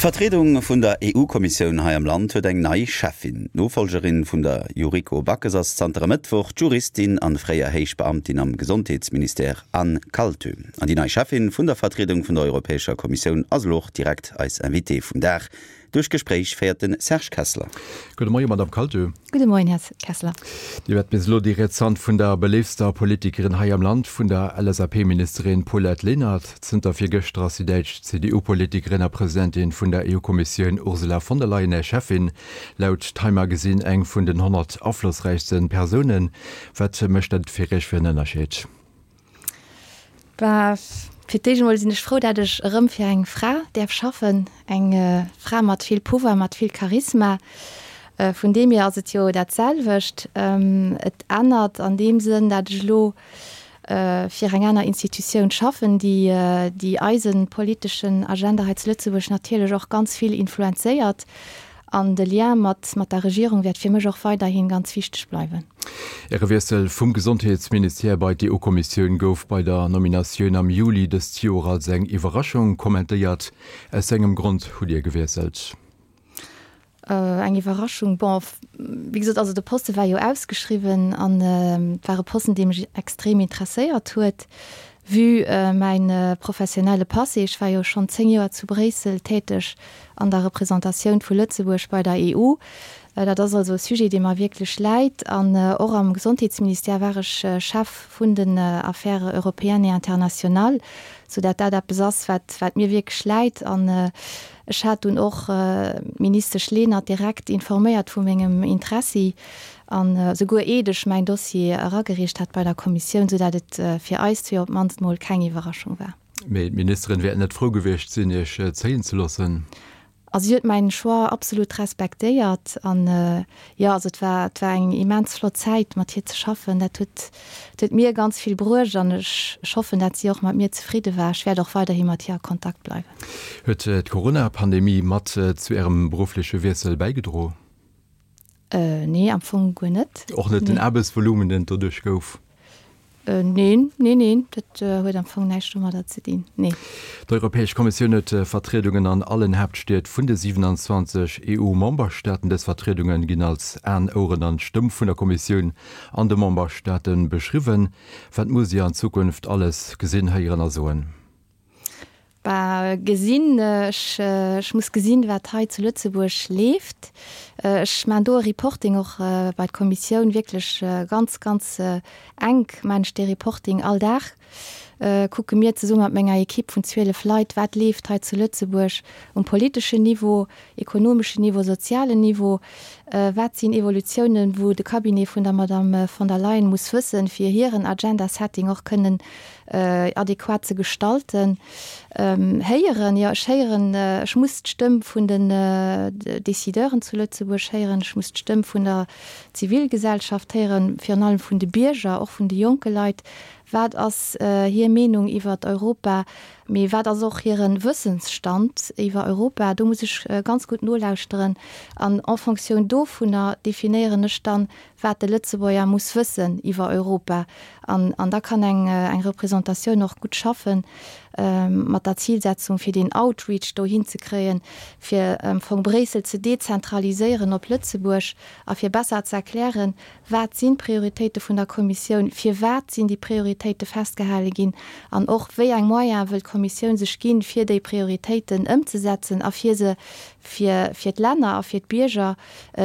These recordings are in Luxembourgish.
D'Vertriedung vun der EU-Kommissioun hei am Land huet eng nei Cheffin. D'Nofollgerin vun der Yuriko Backes ass zanter e Mëttwoch d'Juristin an fréier héich Beamtin am Gesondheetsministère Anne Kaltö. An déi nei Cheffin vun der Vertriedung vun der Europäescher Kommissioun ass elo och direkt eis Invitée vum Dag. Duerch d'Gespréich féiert de Serge Kessler. Gudde Moien, Madame Kaltö. Gudde Moien, Här Kessler. Dir waart bis elo déi riets Hand vun der beléiftster Politikerin hei am Land, vun der LSAP-Ministerin Paulette Lenert. Zënter virgëschter ass déi däitsch CDU-Politikerin a Presidentin vun der EU-Kommissioun Ursula von der Leyen Är Cheffin. Laut Time Magazine eng vun den 100 aflossräichste Persounen. Wat mécht dat fir Iech fir en Ënnerscheed? Bah, fir d'éischt emol sinn ech frou, dat ech erëm fir eng Fra däerf schaffen, eng Fra mat vill Pouvoir, mat vill Charisma. Vun deem hier ass et jo dat selwecht. Et ännert an deem Sënn, dat ech elo fir eng aner Institutioun schaffen, déi déi eise politeschen Agenda hei zu Lëtzebuerg natierlech och ganz vill influenzéiert. An de Lien mat mat der Regierung wäert fir mech och weiderhi ganz wichteg bleiwen. Äre Wiessel vum Gesondheetsministère bei d'EU-Kommissioun gouf bei der Nominatioun am Juli dëst Joer als eng Iwwerraschung kommentéiert. Aus wéi engem Grond hutt Dir gewiesselt? Eng Iwwerraschung? Bon, wéi gesot, also de Poste war jo ausgeschriwwen an et war e Posten, dee mech extrem interesséiert huet. Vue mäin professionelle Passé, ech war jo schonn 10 Joer zu Bréissel täteg an der Representatioun vu Lëtzebuerg bei der EU. Dat ass also e Sujet, dee mer wierklech läit. An och am Gesondheetsministère war ech Chef vun den Affaires européennes et internationales, soudatt dat eppes ass, wat, wat mir wierklech läit. An ech hat dunn och d'Ministesch Lenert direkt informéiert vu mengem Interessi an esouguer eet ech mäin Dossier eragereecht hat bei der Kommissioun, soudatt et fir eis zwee op d'mannst mol keng Iwwerraschung war. Mee d'Ministerin wäert net frou gewiescht sinn, Iech zéien ze loossen? Also si huet mäin Choix absolut respektéiert an jo, also et war, et war eng immens flott Zäit mat hir ze schaffen. Dat huet, dat huet mir ganz vill bruecht an ech, ech hoffen, dat si och mat mir zefridde war. Ech wäert och weiderhi mat hir a Kontakt bleiwen. Huet d'Corona-Pandemie mat zu Ärem beruffleche Wiessel bäigedro? Nee, am Fong guer net. Och net den Aarbechtsvolumen, deen et doduerch gouf? Neen, neen, neen, dat huet am Fong näischt domadder ze dinn, nee. D'Europäesch Kommissioun huet Vertriedungen an allen Haaptstied vun de 27 EU-Memberstaaten. Dës Vertriedunge ginn als Aen, Oueren an Stëmm vun der Kommissioun an de Memberstaate beschriwwen. Wat musst Dir an Zukunft alles gesinn, héieren a soen? Bah, gesinn, ech, ech muss gesinn, wat hei zu Lëtzebuerg leeft. Ech maachen do e Reporting och bei d'Kommissioun, wierklech ganz, ganz enk maachen ech dee Reporting. All Dag kucke mir zesumme mat menger Ekipp vun 12 Leit, wat leeft hei zu Lëtzebuerg um politeschen Niveau, ekonomeschen Niveau, sozialen Niveau, wat sinn Evolutiounen, wou de Cabinet vun der Madame von der Leyen muss wëssen, fir hiren Agenda-Setting och kënnen adequat ze gestalten. Héieren, jo, ech héieren, ech muss d'Stëmm vun den Décideuren zu Lëtzebuerg héieren, ech muss d'Stëmm vun der Zivilgesellschaft héieren, virun allem vun de Bierger, och vun de jonke Leit. Wat ass hir Meenung iwwert Europa? Mee wat ass och hire Wëssensstand iwwer Europa? Do muss ech ganz gutt nolauschteren an en Fonctioun dovunner definéieren ech dann, wat de Lëtzebuerger muss wëssen iwwer Europa. An, an da kann eng, eng Représentatioun och gutt schaffen, mat der Zilsetzung, fir deen Outreach do hinzekréien, fir am Fong Bréissel ze dezentraliséieren op Lëtzebuerg a fir besser ze erklären, Wat sinn d'Prioritéite vun der Kommissioun, firwat sinn déi Prioritéite festgehale ginn an och wéi eng Moyene wëll d'Kommissioun sech ginn, fir déi Prioritéiten ëmzesetzen a fir se fir, fir d'Länner a fir d'Bierger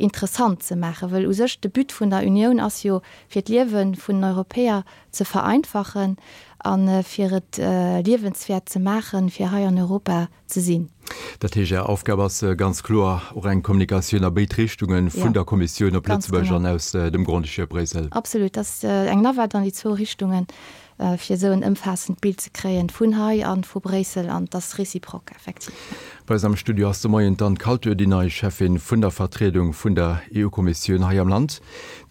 interessant ze maachen, wëll u sech de But vun der Unioun ass jo, fir d'Liewe vun den Europäer ze vereinfachen a fir et liewenswäert ze maachen, fir hei an Europa ze sinn. Dat heescht, Är Aufgab ass ganz kloer och eng Kommunikatioun a béid Richtungen, vun der Kommissioun op Lëtzebuerg an aus dem Grand-Duché op Bréissel. Absolut, dat ass eng Navette an déi zwou Richtungen, fir esou en ëmfaassend Bild ze kréien vun hei a vu Bréissel, an et ass réciproque, effektiv. Bei eis am Studio ass de Moien d'Anne Kaltur, déi nei Cheffin vun der Vertriedung vun der EU-Kommissioun hei am Land.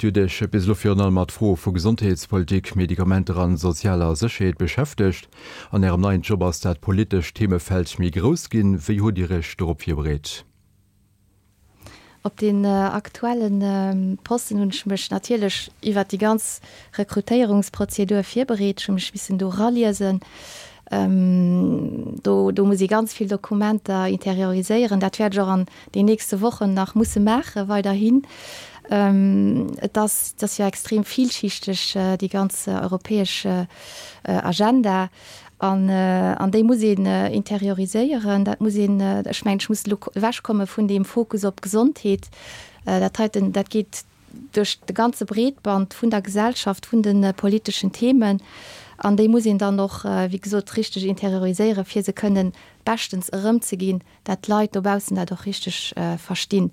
Dir hutt Iech bis elo virun allem mat Froe vu Gesondheetspolitik, Medikamenter an sozialer Sécherheet beschäftegt. An Ärem neien Job ass dat politescht Themefeld méi grouss ginn. Wéi hutt Dir Iech dorop virbereet? Op deen aktuelle Posten hunn ech mech natierlech iwwert déi ganz Rekrutéierungsprozedur virbereet. Ech hu mech missen do eraliesen. Do, do muss ee ganz vill Dokumenter interioriséieren. Dat wäert ech och an den nächste Wochen nach musse maache weiderhin. Et ass, et ass jo extrem vielschichteg, déi ganz europäesch Agenda. An, an déi muss een interioriséieren. Dat muss een, ech mengen, ech muss elo ewechkomme vun deem Fokus op d'Gesondheet. Dat heiten, dat geet duerch de ganze Breetband vun der Gesellschaft, vun de politeschen Themen. An déi muss een dann och, wéi gesot, richteg interioriséieren, fir se kënnen beschtens erëmzeginn, dat d'Leit dobaussen dat och richteg verstinn.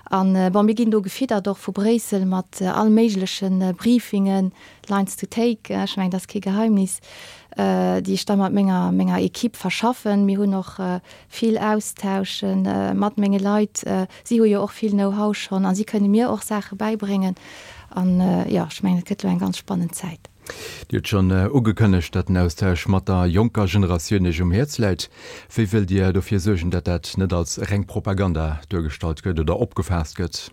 An, bon, mir ginn do gefiddert och vu Bréissel mat all méigleche Briefingen, Lines to take, ech mengen, dat ass kee Geheimnis, déi ech da mat menger, menger Equipe verschaffen. Mir hunn och vill Austausche mat menge Leit. Si hu jo och vill Know-how schonn a si kënne mir och Saache bäibréngen. An, jo, ech mengen, et gëtt elo eng ganz spannend Zäit. Dir hutt schonn ugekënnegt, datt den Austausch mat der jonker Generatioun Iech um Häerz läit. Wéi wëllt Dir dofir suergen, datt dat net als reng Propaganda duergestallt gëtt oder opgefaasst gëtt?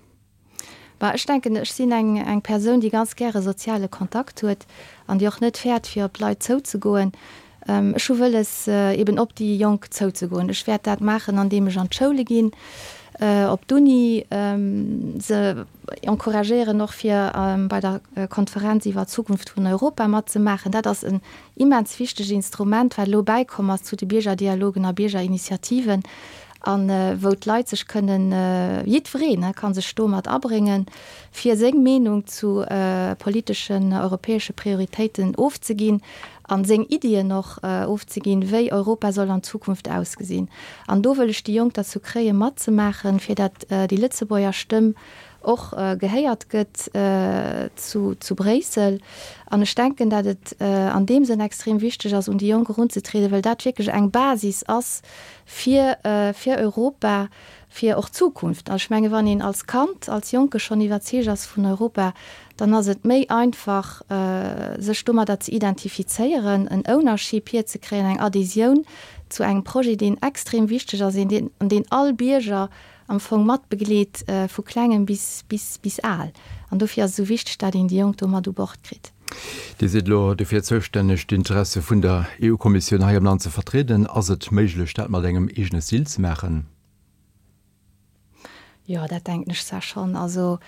Bah, ech denken, ech sinn eng eng Persoun, déi ganz gäre soziale Kontakt huet an déi och net fäert, fir op d'Leit zouzegoen. Ech hu wëlles, eben op déi Jonk zouzegoen. Ech wäert dat maachen, andeem ech an d'Schoule ginn, op d'Uni, se encouragéieren och fir bei der Konferenz iwwer d'Zukunft vun Europa matzemaachen. Dat ass en immens wichtegt Instrument, wat elo bäikomm ass zu de Biergerdialogen a Biergerinitiativen a wou d'Leit sech kënnen, jiddwereen ka sech do mat abréngen, fir seng Meenung zu politeschen europäesche Prioritéiten ofzeginn a seng Iddien och ofzeginn, wéi Europa soll an Zukunft ausgesinn. An do wëll ech déi Jonk derzou kréien, matzemaachen, fir dat déi Lëtzebuerger Stëmm och gehéiert gëtt zu zu Bréissel. An ech denken, dat et an deem Sënn extrem wichteg ass, un déi Jonk erunzetrieden, well dat wierklech eng Basis ass fir fir Europa, fir och d'Zukunft. An ech menge wann een als Kand, als Jonke schonn iwwerzeegt ass vun Europa, dann ass et méi einfach, sech domadder ze identifizéieren, en Ownership hierzekréien, eng Adhésioun zu engem Projet, deen extrem wichteg ass, een, an deen all Bierger am Fong mat begleet, vu Klengem bis, bis, bis al. An dofir ass et esou wichteg, dat een déi Jonk do mat u Bord kritt. Dir sidd elo dofir zoustänneg, d'Interesse vun der EU-Kommissioun hei am Land ze vertrieden. Ass et méiglech, dat mat engem eegene Stil ze maachen? Jo, dat denken ech zwar schonn. Also,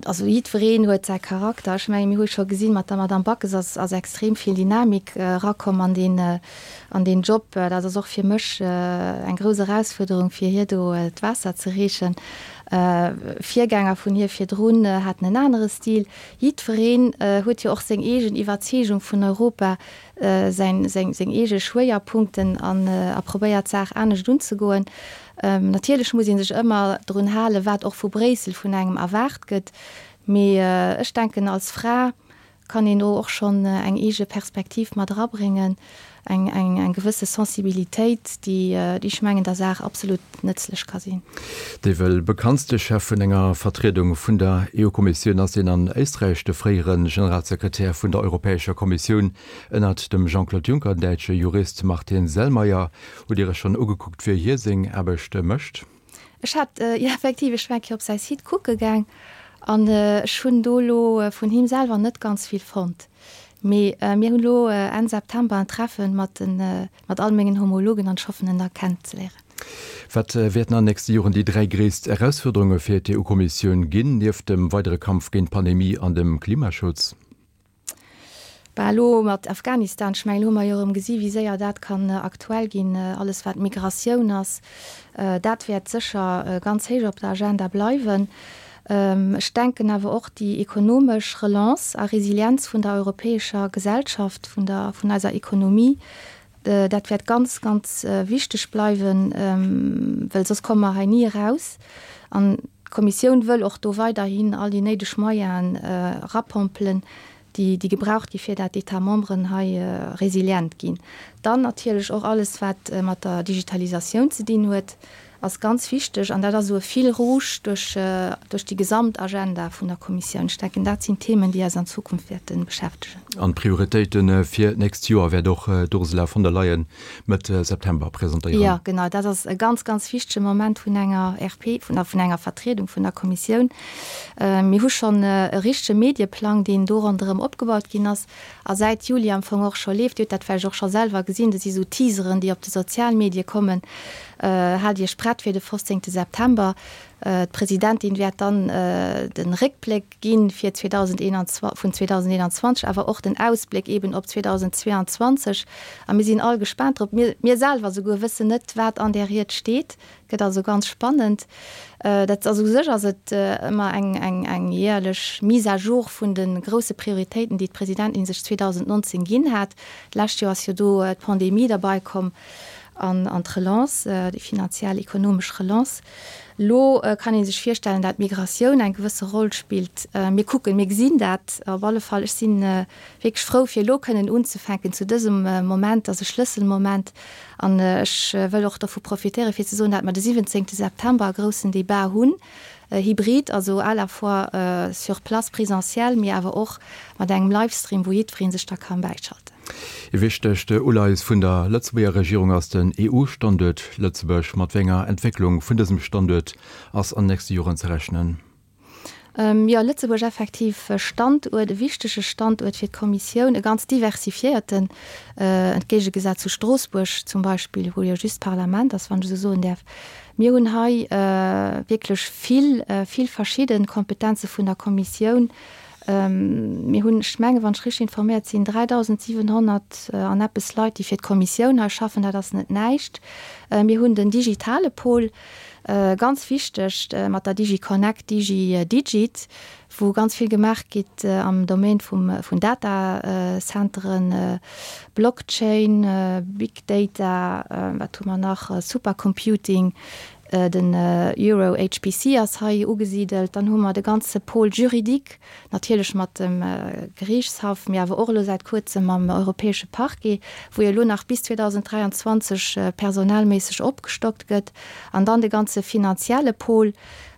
also jiddwereen huet säi Charakter. Ech mengen, mir hu scho gesinn, mat der Madame Backes ass, ass extrem vill Dynamik erakomm an deen, an deen Job. Dat ass och fir mech eng grouss Erausfuerderung, fir hir do d'Waasser ze reechen. Virgänger vun hir virdrun haten en anere Stil. Jiddwereen huet jo och seng eegen Iwwerzeegung vun Europa. säin, seng, seng eege Schwéierpunkten an a probéiert d'Saach anescht unzegoen. Natierlech muss ee sech ëmmer drun halen, wat och vu Bréissel vun engem erwaart gëtt, mee ech denken, als Fra kann een do och schonn eng eege Perspektiv mat erabréngen, eng, eng, eng gewësse Sensibilitéit, déi, déi ech mengen, der Saach absolut nëtzlech ka sinn. Dee wuel bekanntste Chef vun enger Vertriedung vun der EU-Kommissioun ass deen an Éisträich, de fréiere Generalsekretär vun der Europäescher Kommissioun ënnert dem Jean-Claude Juncker, den däitsche Jurist Martin Selmayr. Hutt Dir Iech schonn ugekuckt, wéi hie seng Aarbecht mécht? Ech hat, jo effektiv, ech war eng Kéier op säi Site kucke gaang an ech hunn do elo vun him selwer net ganz vill fonnt. Mee mir hunn elo Enn September en Treffen mat den, mat all mengen Homologen an ech hoffen en da kennenzeléieren. Wat wäerten an den nächste Joren déi 3 gréisst Erausfuerderunge fir d'EU-Kommissioun ginn, nieft dem weidere Kampf géint d'Pandemie an dem Klimaschutz? Bah, elo mat Afghanistan, ech mengen, elo hu mer jo erëm gesi wéi séier dat kann aktuell ginn, alles wat Migratioun ass, dat wäert sécher ganz héich op der Agenda bleiwen. Ech denken awer och déi ekonomesch Relance a Resilienz vun der europäescher Gesellschaft, vun der, vun eiser Ekonomie, dat wäert ganz, ganz wichteg bleiwen, well soss komme mer hei ni eraus. An d'Kommissioun wëll och do weiderhin all déi néideg Moyenen erapompelen, déi, déi gebraucht gi fir dat d'États membres hei resilient ginn. Dann natierlech och alles, wat mat der Digitalisatioun ze dinn huet. Ass ganz wichteg an dat ass esou e Fil rouge duerch, duerch déi gesamt Agenda vun der Kommissioun. Ech denken, dat sinn Themen, déi eis an Zukunft wäerte beschäftegen. An d'Prioritéite fir d'nächst Joer wäert och d'Ursula von der Leyen Mëtt September presentéieren. Jo, genau. Dat ass e ganz, ganz wichtege Moment vun enger RP, vun vun enger Vertriedung vun der Kommissioun. Mir hu schonn e richtege Medieplang, deen do ronderëm opgebaut ginn ass a säit Juli am Fong och scho leeft. Dir hutt dat vläicht och scho selwer gesinn. Do si sou Teaseren, déi op de Sozialmedie kommen. Haalt Iech prett fir de 15. September. D'Presidentin wäert dann de Réckbléck gi fir 2021, vun 2021, awer och den Ausbléck eeben op 2022. A mir sinn all gespaant drop. Mir, mir selwer souguer wëssen net, wat an där Ried steet. Gëtt also ganz spannend. Dat ass u sech ass et ëmmer eng, eng, eng jäerlech Mise à jour vun de grousse Prioritéiten, déi d'Presidentin sech 2019 ginn hat. D'lescht Joer ass jo do d'Pandemie derbaikomm. An an d'Relance, déi finanziell, ekonomesch Relance. Elo kann ee sech virstellen, dat d'Migratioun eng gewësse Roll spillt. Mir kucken, mir gesinn dat op alle Fall. Ech si wierklech frou, fir elo kënnen unzefänken zu dësem Moment. Dat ass e Schlësselmoment. An ech wëll och dovu profitéieren, fir ze soen, dat mer de 17. September e groussen Débat hunn, hybrid, also à la fois sur place, présentiel, mee awer och mat engem Livestream, wou jiddweree sech da ka bäischalten. E wichtegt Uleies vun der Lëtzebuerger Regierung ass den EU-Standuert Lëtzebuerg. Mat wéi enger Entwécklung vun dësem Standuert ass an nächste Joren ze rechnen? Jo, Lëtzebuerg effektiv e Standuert, e wichtege Standuert fir d'Kommissioun, e ganz diversifiéierten, entgéigegesat zu Stroossbuerg zum Beispill, wou jo just d'Parlament ass, wann ech esou soen däerf. Mir hunn hei wierklech vill, vill verschidde Kompetenze vun der Kommissioun. Mir hunn, ech mengen, wann ech richteg informéiert sinn, 3.700 an eppes Leit, déi fir d'Kommissioun hei schaffen. Dat ass net näischt. Mir hunn den digitale Pol, ganz wichteg, mat der DigiConnect, DigiDigit, wou ganz vill gemaach gitt am Domaine vum, vun Datacenteren, Blockchain, Big Data, wat hu mer nach, Supercomputing, Den Euro HPC ass hei ugesidelt. Dann hu mer de ganze Pôle juridique, natierlech mat dem Geriichtshaff, mee awer och elo säit kuerzem mam Europäesche Parquet, wou jo elo nach bis 2023 personellméisseg opgestockt gëtt. An dann de ganze finanzielle Pôle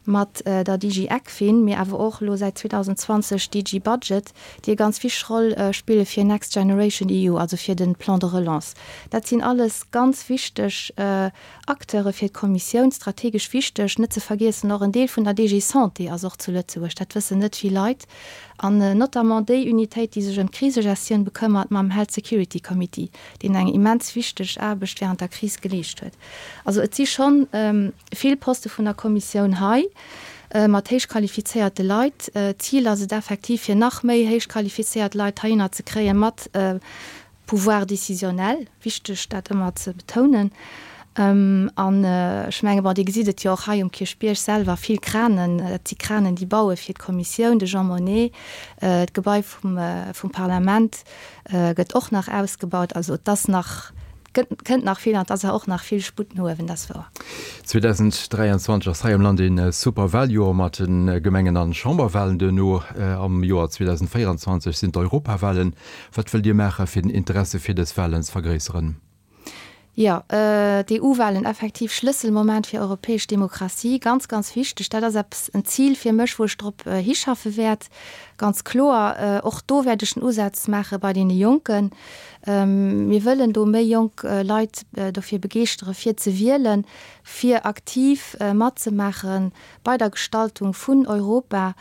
mat der DG ECFIN, mee awer och elo säit 2020 DG Budget, déi e ganz wichteg Roll spille fir Next Generation EU, also fir de Plan de relance. Dat sinn alles ganz wichteg Acteure fir d'Kommissioun strategesch wichteg. Net ze vergiessen och en Deel vun der DG Santé ass och zu Lëtzebuerg, dat wëssen net vill Leit, an notamment déi Unitéit, déi sech ëm d'Krisegestioun bekëmmert mam Health Security Committee, deen eng immens wichteg Aarbecht während der Kris geleescht huet. Also et si schonn vill Poste vun der Kommissioun hei mat héich qualifizéierte Leit. D'Zil ass et effektiv, fir nach méi héich qualifizéiert Leit heihinner ze kréien, mat Pouvoir décisionnel, wichteg dat ëmmer ze betounen. An ech menge bon, Dir gesitt et jo och hei um Kierchbierg selwer, vill Kranen, dat si Kranen, déi baue fir d'Kommissioun, de Jean Monnet, d'Gebai vum vum Parlament gëtt och nach ausgebaut. Also et ass nach, kënnt nach vill an et ass och nach vill Sputt no uewen, dat ass wouer. 2023 ass hei am Land ee super Waljoer mat de Gemengen an Chamberwalen. Duerno am Joer 2024 sinn d'Europawalen. Wat wëllt Dir maachen, fir den Interesse fir dës Walen ze vergréisseren? Jo, d'EU-Walen, effektiv Schlësselmoment fir europäesch Demokratie, ganz, ganz wichteg. Dat ass eppes, en Zil fir mech, wou ech drop hischaffe wäert, ganz kloer. Och do wäert ech den Usaz maache bei deene Jonken. Mir wëllen do méi jonk Leit dofir begeeschtere fir ze wielen, fir aktiv matzemaache bei der Gestaltung vun Europa.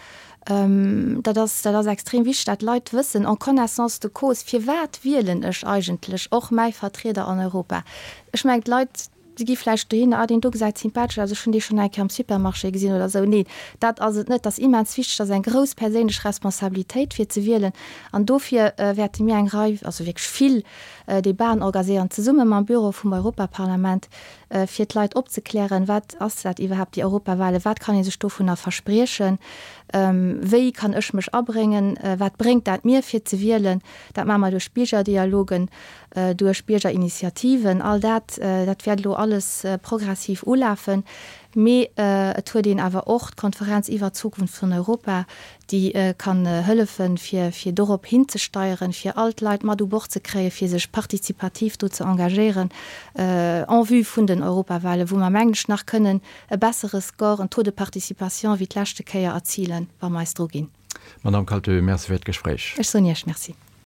Dat ass, dat ass extrem wichteg, dat d'Leit wëssen en connaissance de cause, firwat wielen ech eigentlech och mäi Vertrieder an Europa. Ech mengen, d'Leit, déi gi vläicht dohinner, ah, deen do gesäit sympathesch aus, ech hunn dee schonn eng Kéier am Supermarché gesinn oder esou. Neen, dat ass et net. Et ass immens wichteg, dat ass eng grouss perséinlech Responsabilitéit, fir ze wielen. An dofir wäerte mir eng Rei, also wierklech vill Debaten orgaséieren, zesumme mam Büro vum Europaparlament, fir d'Leit opzeklären, wat ass dat iwwerhaapt, déi Europawahlen, wat kann ee sech dovunner verspriechen, wéi kann ech mech abréngen, wat bréngt dat mir fir ze wielen. Dat maache mer duerch Biergerdialogen. duerch Biergerinitiativen. All dat, dat wäert elo alles progressiv ulafen. Mee et huet een awer och d'Konferenz iwwert d'Zukunft vun Europa, déi kann hëllefen, fir fir dorop hinzesteieren, fir all d'Leit mat u Bord ze kréien, fir sech partizipativ do ze engagéieren en vue vun den Europawahlen, wou mer, mengen ech, nach kënnen e bessere Score, en Taux de participation wéi d'leschte Kéier erzilen, wa mer eis druginn. Madamm Kaltö, Merci fir d'Gespréich. Ech soen Iech Merci.